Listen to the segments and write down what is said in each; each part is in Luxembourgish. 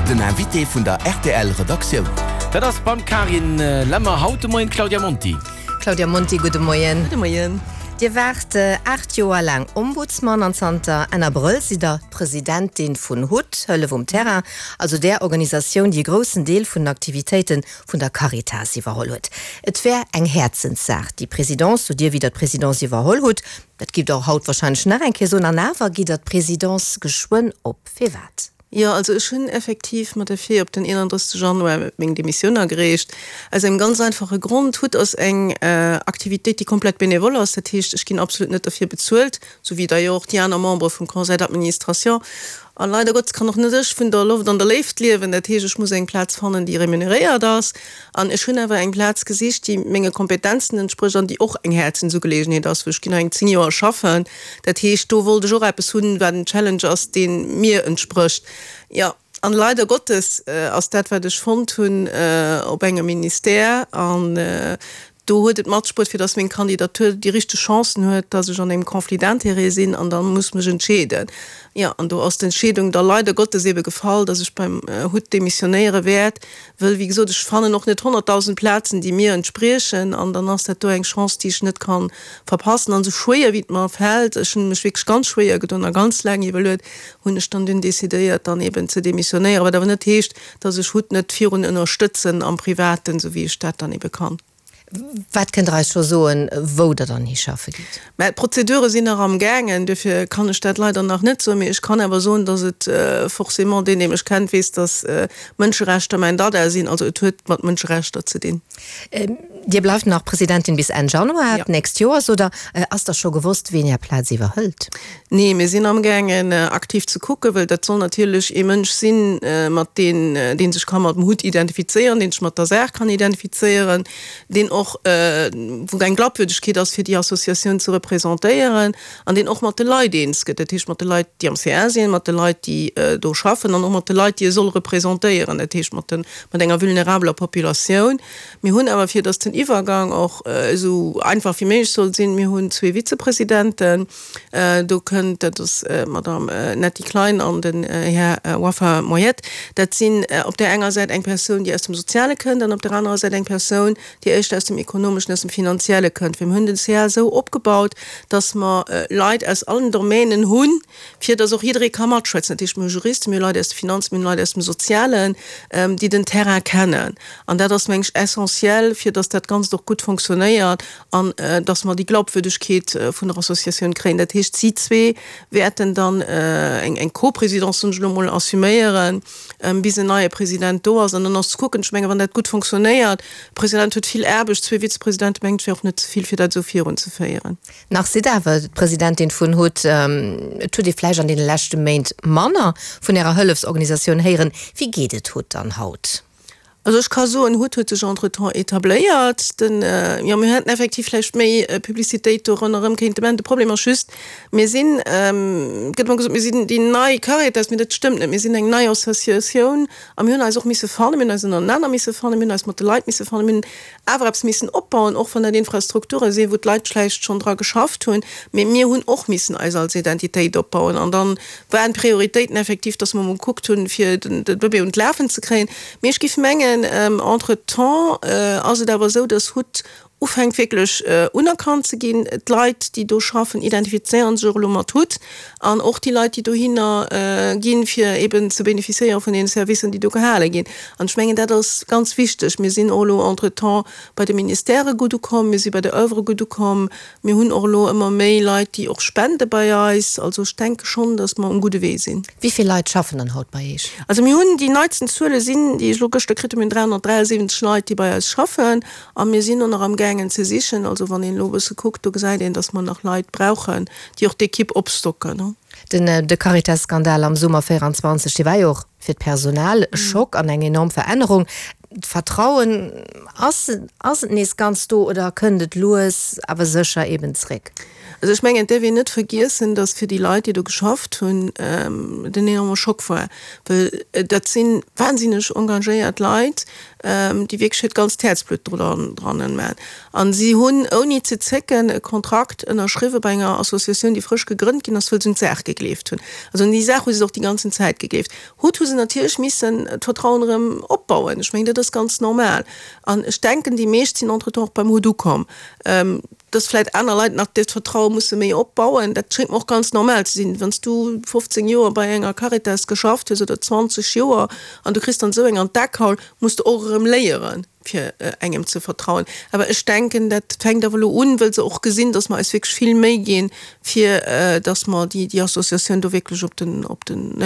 Den Invité vun der rtl Redaktioun. Dat ass beim Karin Lemmer haut de Moien d'Claudia Monti. Claudia Monti, gudde Moien. Gudde Moien. Dir waart 8 Joer laang Ombudsman an zanter Enn Abrëll sidd der d'Presidentin vun hut, Hëllef um Terrain, also där Organisatioun, déi e groussen Deel vun den Aktivitéite vun der Caritas iwwerholl huet. Et wär eng Häerzenssaach, déi Présidence, sot Dir, wéi Der d'Presidence iwwerholl hutt. Dat gitt Der och haut warscheinlech nach eng Kéier soen. An awer gitt Der d'Presidence geschwënn op. Firwat? Jo, also ech hunn effektiv mat der Fee op den 31 Januar meng Demissioun agereecht. Aus engem ganz einfache Grond, Hut ass eng Aktivitéit, déi komplett benevole ass. Dat heescht, ech ginn absolut net derfir bezuelt, sou wéi d'ailleurs och déi aner Membere vum Conseil d'administration. A leider Gottes kann och net ech vun der Loft an der Léift liewen. Dat heescht, ech muss eng Plaz fannen, déi remuneréiert ass. An ech hunn awer eng Plaz gesicht, déi menge Kompetenzen entsprécht an déi och eng Häerzensugeleegenheet ass, wou ech ginn nach eng 10 Joer schaffen. Dat heescht, do wollt ech och eppes hunn, wat en Challenge ass, dee mir entsprécht. Jo, an leider Gottes ass dat, wat ech fonnt hunn, op engem Ministère. An do huet et matspruet, fir datt meng Kandidatur déi richteg Chancen huet, datt ech an engem Conflit d'intérêts sinn an da muss mech entscheeden. Jo, an do ass d'Entscheedung da leider Gottes ebe gefall, datt ech beim HUT demissionéiere wäert. Wëll, wéi gesot, ech fannen och net 100.000 Plazen, déi mir entspriechen, an dann ass dat do eng Chance, déi ech net ka verpassen. An esou schwéier wéi et mer fält, ech hunn mech wierklech ganz schwéier gedoen a ganz laang iwwerluet, hunn ech dann dunn decidéiert, dann eben ze demissionéieren, wat awer net heescht, dass ech HUT net virun ënnerstëtzen am Privaten, esou wéi ech dat dann ebe kann. Wat kënnt Der eis scho soen, wou Der dann hischaffe gitt? Mä d'Prozedure sinn nach am gaangen, duerfir kann ech dat leider nach net soen. Mee ech kann awer soen, dass et forcément, deen, dee mech kennt, weess, dass Mënscherechter mäin Dada sinn. Also et huet mat Mënscherechter ze dinn. Dir bleift nach Presidentin bis Enn Januar d'nächst Joers, oder ass da scho gewosst, ween Är Plaz iwwerhëlt? Nee, mir sinn amgaangen aktiv ze kucken, well dat soll natierlech ee Mënsch sinn, mat deen, dee sech ka mat dem Hutt identifizéieren, dee sech mat der Saach kann identifizéieren, deen och, wou eng Glaubwürdigkeet ass fir déi Associatioun ze representéieren an deen och mat de Leit eens gëtt, dat heescht mat de Leit, déi am CA sinn, mat de Leit, déi do schaffen an och mat de Leit, déi e soll representéieren, dat heescht mat de, mat enger vulnerabeler Populatioun. Mir hunn awer, fir datt den Iwwergang och esou einfach wéi méiglech soll sinn, mir hunn zwee Vizepresidenten, Do kënnt, dat ass d'Madame Netty Klein an den Här Wafa Moyet. Dat sinn op där enger Säit eng Persoun, déi aus dem Soziale kënnt, an op där anerer Säit eng Persoun, déi éischter aus dem Ekonomeschen, aus dem Finanzielle kënnt. Well mir hunn den CA esou opgebaut, dass mer Leit aus allen Domänen hunn, fir dass och jidderee ka matschwätzen. Dat heescht, mir hu Juristen, mir hu Leit aus de Finanzen, mir hunn Leit aus dem Sozialen, déi den Terrain kennen. An dat ass, meng ech, essentiell, fir dass dat Ganzt och gutt fonctionnéiert an dass mer déi Glaubwürdigkeet vun der Associatioun kréien. Dat heescht, si zwee wäerten dann eng Co-Présidence, soen ech elo emol, assuméieren, bis en neie President do ass. An dann ass ze kucken, ech mengen, wann dat gutt fonctionnéiert, de President huet vill Aarbecht, zwee Vizepresidente mengen ech wär och net ze vill, fir dat esou virunzeféieren. Nach sidd awer d'Presidentin vun hut. Et huet ee vläicht an deene leschte Méint manner vun Ärer Hëllefsorganisatioun héieren. Wéi geet et hut dann haut? Also ech ka soen, hut huet sech entretemps etabléiert. Den, jo, mir hätten effektiv vläicht méi Publicitéit do ronderëm kéinte maachen. De Problem ass just, mir sinn, et gëtt ëmmer gesot, mir sinn déi nei Caritas, mee dat stëmmt net. Mir sinn eng nei Associatioun a mir hunn eis och misse fannen, mir hunn eis ënnerenaner misse fannen, mir hunn eis mat de Leit misse fannen, mir hunn awer eppes missen opbauen, och wann dat Infrastrukture sinn, wou d'Leit vläicht schonn dra geschafft hunn, mee mir hunn och missen eis als Identitéit opbauen. An da waren d'Prioritéiten effektiv, dass mer emol gekuckt hunn, fir de Bëbee un d'Lafen ze kréien. Mee ech géif mengen, entretemps ass et awer esou, dass hut ufänkt wierklech unerkannt ze ginn. D'Leit, déi do schaffen, identifizéiere sech och elo mat hut an och déi Leit, déi dohinner ginn, fir eben ze bénéficiéiere vun deene Servicen, déi do gehale ginn. An ech mengen, dat ass ganz wichteg. Mir sinn och elo entretemps bei de Ministèrë gutt ukomm, mir si bei der Oeuvre gutt ukomm, mir hunn och elo ëmmer méi Leit, déi och spende bei eis. Also ech denke schonn, datt mer um gudde Wee sinn. Wéi vill Leit schaffen dann haut bei Iech? Also mir hunn, déi neitsten Zuele sinn, déi ech elo gëschter kritt hunn, mir hunn 373 Leit, déi bei eis schaffen. A mir sinn och nach amgaangen ze sichen. Also wann een elo e bësse kuckt, do gesäit een, datt mer nach Leit brauchen, déi och d'Ekipp opstocken. Den de Caritas-Skandal am Summer 24, dee war jo och fir d'Personal e Schock an eng enorm Verännerung. D'Vertrauen, ass ass et nees ganz do oder kënnt et lues awer sécher eben zréck? Also ech mengen, et däerf een net vergiessen, datt fir déi Leit, déi do geschafft hunn, et en enorme Schock war, well dat si wahnsinneg engagéiert Leit, déi wierklech hiert ganzt Häerzblutt do dran man. An si hunn ouni ze zécken e Kontrakt ënnerschriwwe bei enger Associatioun, déi frësch gegrënnt ginn ass, wëll se un d'Saach gegleeft hunn. Also un déi Saach hu se och déi ganzen Zäit gegleeft. Haut hu se natierlech missen d'Vertrauen erëm opbauen. Ech mengen, dat ass ganz normal. An ech denken, déi meescht sinn entretemps och beim Hut ukomm. Dass vläicht aner Leit nach dat Vertraue musse méi opbauen, dat schéngt mer och ganz normal ze sinn. Wann s du 15 Joer bei enger Caritas geschafft hues oder 20 Joer an du kriss dann esou eng an d'Ackhaul, muss de och erëm léieren, fir engem ze vertrauen. Awer ech denken, dat fänkt awer elo un, wëll se och gesinn, dass mer eis wierklech vill Méi ginn, fir dass mer déi Associatioun do wierklech op den, op den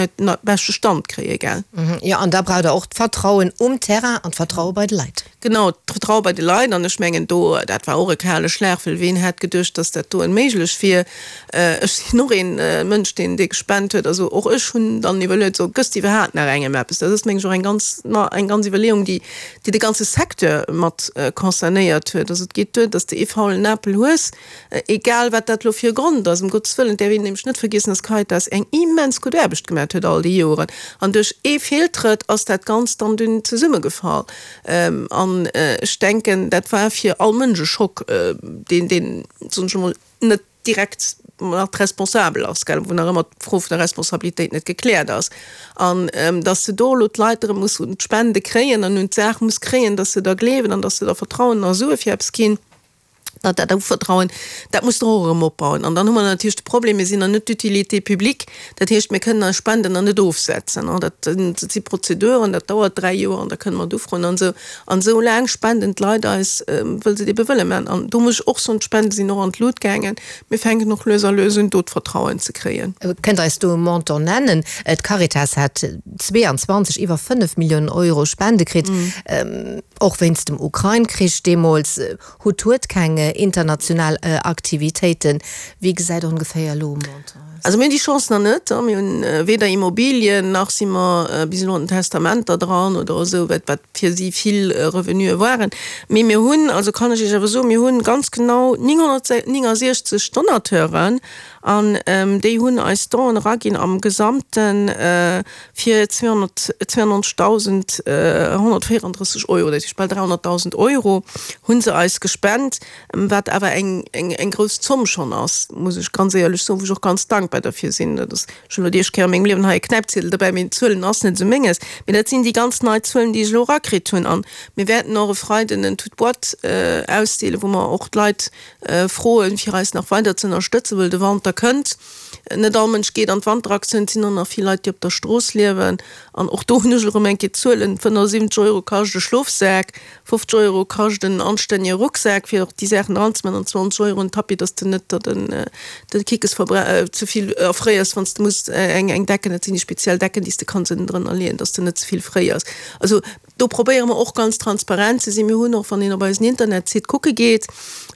beschte Stand kréien, gell. Jo, an da braucht Der och d'Vertrauen um Terrain an d'Vertraue bei de Leit. Genau, d'Vertraue bei de Leit. An ech mengen do, dat war och e kale Schlag, well ween hätt geduecht, dass dat doen méiglech wier. Ech sinn och ee Mënsch, deen dee gespent huet. Also och ech hunn dann iwwerluet, so gëss de iwwerhaapt nach engem eppes? Dat ass, meng ech, och eng ganz, eng ganz Iwwerleeung, déi, déi de ganze Secteur mat concernéiert huet. Also et geet duer, dass de ee faulen Apel hues, Egal wat dat elo fir e Grond ass, ëm Gottes Wëllen, et däerf een nämlech net vergiessen, dass d'Caritas eng immens gutt Aarbecht gemat huet all déi Joren. An duerch ee Feeltrëtt ass dat Ganzt dann dunn zesummegefall. An ech denken, dat war fir all Mënsch e Schock, deen, deen, soen ech emol, net direkt mat responsabel ass, gell, wou nach ëmmer d'Fro vun der Responsabilitéit net gekläert ass. An dass se do elo d'Leit erëm muss un d'Spende kréien an un d'Saach muss kréien, dass se da gleewen an dass se da Vertrauen a Sue fir eppes ginn. Dat, dat Uvertrauen, dat muss der och erëm opbauen. An dann hu mer natierlech de Problem, mir sinn nach net d'Utilité publique, dat heescht, mir kënnen eis Spenden nach net ofsetzen. Dat si Prozeduren, dat dauert 3 Joer an da kënne mer et ufroen an esou. An esou laang spenden d'Leit eis, wëll se et ebe wëlle maachen. An do muss ech och soen, d'Spende sinn och an d'Lut gaangen. Mir fänken och lues a lues un, do d'Vertrauen ze kréien. Kënnt Der eis do e Montant nennen? D'Caritas hat 22 iwwer 5 Milliounen Euro Spende kritt, och wéinst dem Ukrain-Krich deemools. Hutt huet keng international Aktivitéiten. Wéi gesäit ongeféier elo e Montant aus? Also mir hunn déi Chance nach net. Mir hunn weder Immobilien, nach si mer bis elo an den Testamenter dran oder esou, wat wat fir si vill Revenuë waren. Mee mir hunn, also kann ech Iech awer soen, mir hunn ganz genau 969 Donateuren an déi hunn eis Donen eraginn am Gesamten fir 292.134 Euro, dat heescht bal 300.000 Euro hu se eis gespent, wat awer eng eng grouss Zomm schonn ass, muss ech ganz éierlech soen, wou ech och ganz dankbar derfir sinn. Dat ass, ech hunn elo déi éischt Kéier a mengem Liewen hei e Knäipziedel dobäi, mee Zuelen ass net esou menges. Mee dat sinn déi ganz nei Zuelen, déi ech elo erakritt hunn. A mir wäerten och e Freiden en Tout boîte ausdeelen, wou mer och d'Leit froen, fir eis nach weider ze ënnerstëtzen, wëll de Wanter kënnt. Net all Mënsch geet an d'Wanteraktioun, et sinn och nach vill Leit, déi op der Strooss liewen. An och do hunn ech erëm eng Kéier d'Zuelen, 75 Euro kascht e Schlofsak, 50 Euro kascht en anstännege Rucksak, fir och déi Saachen eranzemaachen, an 20 Euro en Tapis, dass de net der den de Kickes ze vill erfréiers, wann s de muss eng eng Decken, dat sinn déi speziell Decken, déi s de kanns ënnendrënner leeën, dass de net ze vill fréiers. Also Do probéiere mer och ganz transparent ze sinn. Mir hunn och, wann een op eisen Internetsite kucke geet,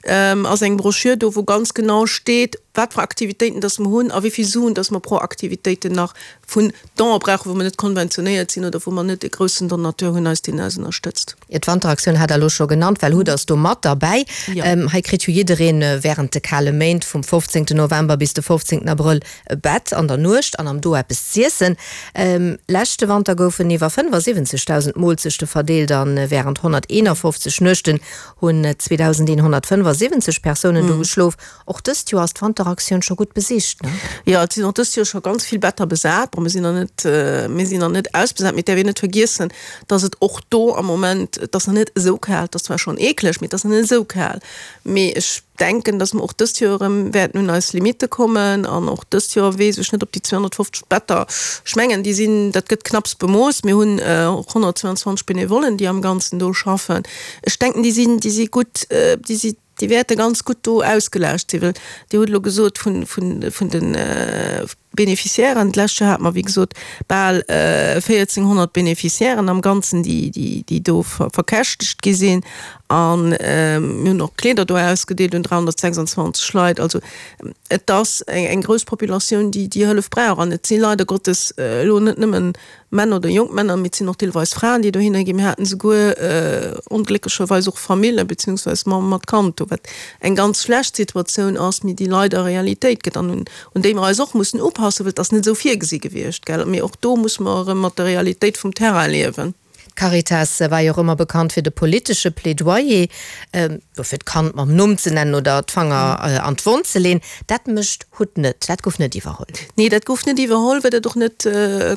ass eng Broschür do, wou ganz genau steet, wat fir Aktivitéiten dass mer hunn a wéi vill Suen dass mer pro Aktivitéiten nach vun Donë brauchen, wou mer net konventionéiert sinn oder wou mer net e groussen Donateur hunn eis, deen eis ënnerstëtzt. Jo, d'Wanteraktioun hat Der elo scho genannt, well hutt ass do mat derbäi. Hei kritt jo jiddereen während de kale Méint vum 15 November bis de 15 Abrëll E Bett an der Nuecht an am Do eppes z'iessen. Leschte Wanter goufen iwwer 75.000 Moolzechte verdeelt a wärend 151 Nuechten hunn 2.175 Persounen do geschlof. Och dëst Joer ass d'Wanteraktioun scho gutt besicht, ne? Jo, et sinn och dëst Joer scho ganz vill Better besat. Bon, mir sinn nach net, mir sinn nach net ausbesat, mee et däerf een net vergiessen, dass et och do am Moment, et ass nach net esou kal, et ass zwar schonn eekleg, mee et ass nach net esou kal. Mee ech denken, dass mer och dëst Joer erëm wäerten un eis Limitte kommen. An och dëst Joer weess ech net, ob déi 250 Better, ech mengen, déi sinn, dat gëtt knapps bemooss. Mir hunn och 122 Benevollen, déi am Ganzen do schaffen. Ech denken, déi sinn, déi si gutt, déi si, déi wäerte ganz gutt do ausgelaascht sinn. Well Dir hutt elo gesot vun, vun, vun de. Beneficiairen. D'lescht Joer hate mer, wéi gesot, bal 1.400 Beneficiairen am Ganzen, déi do verkäschtegt gi sinn. A mir hunn och Kleeder do ausgedeelt un 326 Leit. Also et ass eng grouss Populatioun, déi déi Hëllef brauch. An et si leider Gottes elo net nëmmen Männer oder jonk Männer, mee et sinn och deelweis Fraen, déi dohinner ginn. Mir haten esouguer onglécklecherweis och Famillen, beziehungsweise Mamm mat Kand do, wat eng ganz schlecht Situatioun ass, mee déi leider Realitéit gëtt an un déi mer eis och mussen upassen, well et ass net esou virgesi gewiescht, gell. Mee och do musse mer erëm mat der Realitéit vum Terrain liewen. D'Caritas war jo och ëmmer bekannt fir de politesche Plädoyer, jo fir d'Kand mam Numm ze nennen oder d'Fanger an d'Wonn ze leen. Dat mécht hut net. Dat gouf net iwwerholl. Nee, dat gouf net iwwerholl, well dat och net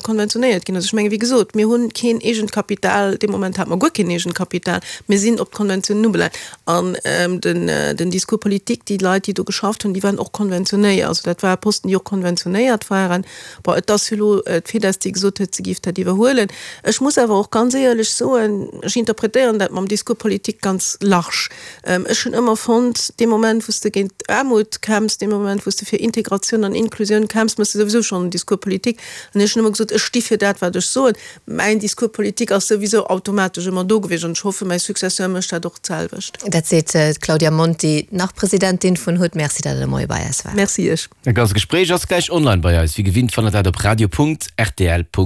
konventionéiert ginn ass. Ech mengen, wéi gesot, mir hunn keen eegent Kapital. Dee Moment hate mer guer keen eegent Kapital. Mir sinn op d'Konventiounen ubelaangt. An den, den Discours politique, déi Leit, déi do geschafft hunn, déi waren och konventionéiert. Also dat ware Posten, déi och konventionéiert waren. Bon, et ass jo elo d'FIDES, déi gesot huet, se géif dat iwwerhuelen. Ech muss awer och ganz éierlech soen, ech interpretéieren dat mam Discours politique ganz large. Ech hunn ëmmer fonnt, dee Moment, wou s de géint Aarmut kämpfs, dee Moment, wou s de fir Integratioun an Inklusioun kämpfs, méchs de souwisou schonn en Discours politique. An ech hunn ëmmer gesot, ech sti fir dat, wat ech soen. Mäin Discours politique ass souwisou automatesch ëmmer do gewiescht an ech hoffen, mäi Successeur mécht dat och d'selwecht. Dat seet d'Claudia Monti, nach Presidentin vun hut. Merci, datt Der de Moie bei eis waart. Merci Iech. Dat ganzt Gespréich ass gläich online bei eis. Wéi gewinnt fannt der dat op radio.rtl.lu.